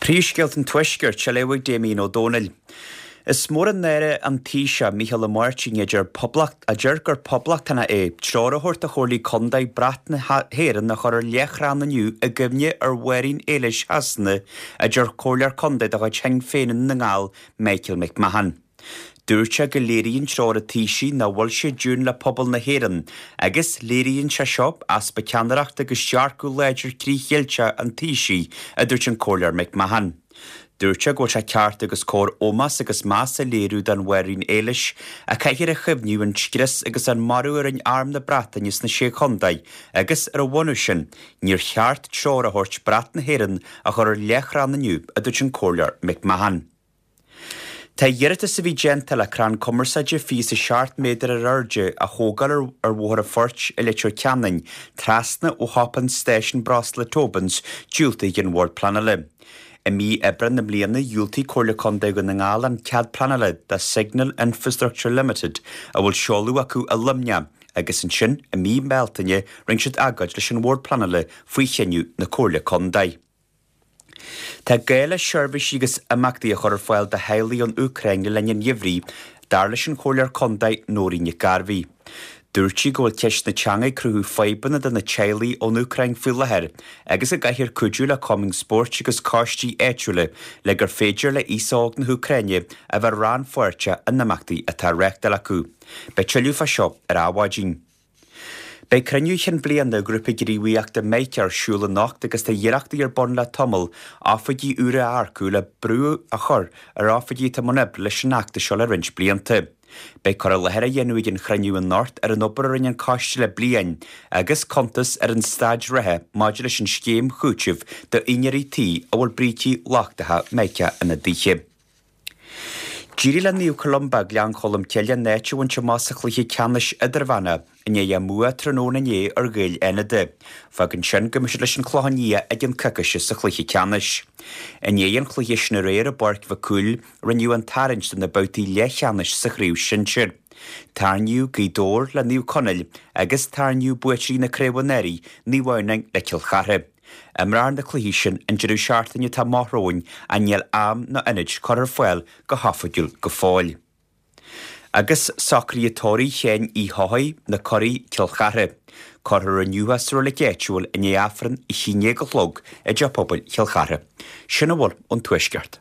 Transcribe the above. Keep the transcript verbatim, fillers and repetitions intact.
Príomhscéalta an Tuaiscirt á léamh ag Damien Ó Dónaill. Is mór an náire an Taoiseach Micheál Ó Máirtín a deir poblacht a deir gur poblachtánach é treoir a thabhairt do chomhairlí contae brat na hÉireann a chur ar leathchrann inniu i gcuimhne ar Mháirín Éilis Shasana a deir comhairleoir contae de chuid Shinn Féin i nDún na nGall Michael McMahon. Dúirt sé go léiríonn treoir an Taoisigh nach bhfuil sé i dtiúin le pobal na hÉireann, agus léiríonn sé seo easpa ceannaireachta agus dearcadh láidir frith-Cheilteach an Taoisigh, a dúirt an Comhairleoir McMahon. Dúirt sé go bhfuil sé ceart agus cóir ómós agus meas a léiriú don Mháirín Éilis, a chaithfear a chuimhniú an scrios agus an marú a rinne Arm na Breataine sna Sé Chontae, agus ar a bhunús sin, níor cheart treoir a thabhairt brat na hÉireann a chur ar leathchrann inniu, a dúirt an Comhairleoir McMahon. Tá iarratas a bhí déanta le crann cumarsáide fiche is a seacht méadar ar airde a thógáil ar Bhóthar an Phoirt i Leitir Ceanainn, trasna ó shiopa an stáisiún breosla Tobin's, diúltaithe ag an Bhord Pleanála. I mí Aibreán na bliana dhiúltaigh Comhairle Contae Dhún na nGall an cead pleanála do Signal Infrastructure Limited a bhfuil seoladh acu i Luimneach agus ansin i mí Bealtaine rinne siad agóid leis an Bhord Pleanála faoi chinneadh na Comhairle Contae. Tá gá le seirbhísí agus imeachtaí a chur ar fáil do theaghlaigh ón Úcráin le linn an gheimhridh, dar leis an Chomhairleoir Contae Nóirín Nic Gairbhí. Dúirt sí go bhfuil ceist na teanga ag cruthú fadhbanna do na teaghlaigh ón Úcráin faoi láthair agus go gcaithfear cuidiú le cumainn spóirt agus coistí áitiúla le gur féidir le aos óg na hÚcráine a bheith rannpháirteach in imeachtaí atá á reáchtáil acu. Beidh tuilleadh fá seo ar Adhmhaidin. Beidh cruinniú chinn bliana Ghrúpa Gníomhaíochta Mica ar siúl anocht agus tá iarrachtaí ar bun le tamall oifigigh úra a earcú le brú a chur ar oifigigh atá i mbun oibre leis an fheachtas seo le roinnt blianta. Beidh cur i láthair á dhéanamh ag an chruinniú anocht ar an obair a rinne an coiste le bliain agus cuntas ar an staid reatha maidir leis an scéim chúitimh d'úinéirí tí a bhfuil brící lochtacha Mica ina dtithe. D'éirigh le Naomh Columba Gleann Cholm Cille an áit a bhaint amach sa chluiche ceannais idirmheánach i ndiaidh a mbua tráthnóna inné ar Ghaeil Fhánada. Fágann sin go mbeidh siad leis an Chlochán Liath i gceann coicíse sa chluiche ceannais. I ndiaidh an chluiche sin aréir i bPáirc Mhic Cumhaill, rinneadh an tarraingt do na babhtaí leathcheannais sa chraobh sinsir. Tarraingíodh Gaoth Dobhair le Naomh Conaill agus tarraingíodh buaiteoirí na craoibhe anuraidh, Naomh Adhamhnáin le Cill Chartha. Imreofar na cluichí sin an deireadh seachtaine atá amach romhainn ach níl am ná ionad curtha ar fáil go hoifigiúil go fóill. Agus socruithe tórraimh Sheáin Uí Chofaigh, na Curaí, Cill Chartha. Cuirfear inniu é sa reilig áitiúil i ndiaidh Aifreann a haon déag a chlog i dTeach Pobail Chill Chartha. Sin a bhfuil ón Tuaisceart.